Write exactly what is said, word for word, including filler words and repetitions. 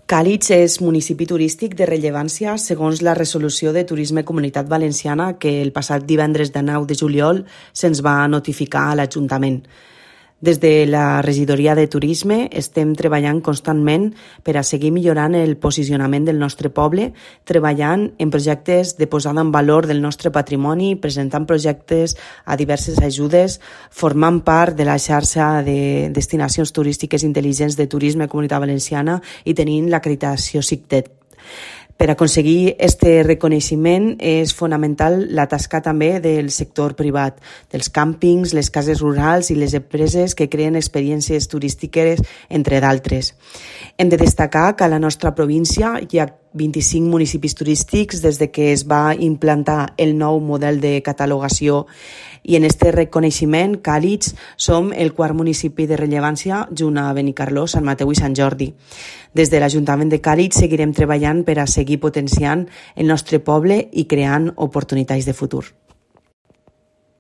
Càlig és municipi turístic de rellevància segons la resolució de Turisme Comunitat Valenciana que el passat divendres de nou de juliol se'ns va notificar a l'Ajuntament. Des de la Regidoria de Turisme estem treballant constantment per a seguir millorant el posicionament del nostre poble, treballant en projectes de posada en valor del nostre patrimoni, presentant projectes a diverses ajudes, formant part de la xarxa de destinacions turístiques intel·ligents de Turisme Comunitat Valenciana i tenint l'acreditació SICTET. Per aconseguir aquest reconeixement és fonamental la tasca també del sector privat, dels càmpings, les cases rurals i les empreses que creen experiències turístiques, entre d'altres. Hem de destacar que a la nostra província hi ha vint-i-cinc municipis turístics des de que es va implantar el nou model de catalogació i en aquest reconeixement, Càlig, som el quart municipi de rellevància junt a Benicarló, Sant Mateu i Sant Jordi. Des de l'Ajuntament de Càlig seguirem treballant per a seguir potenciant el nostre poble i creant oportunitats de futur.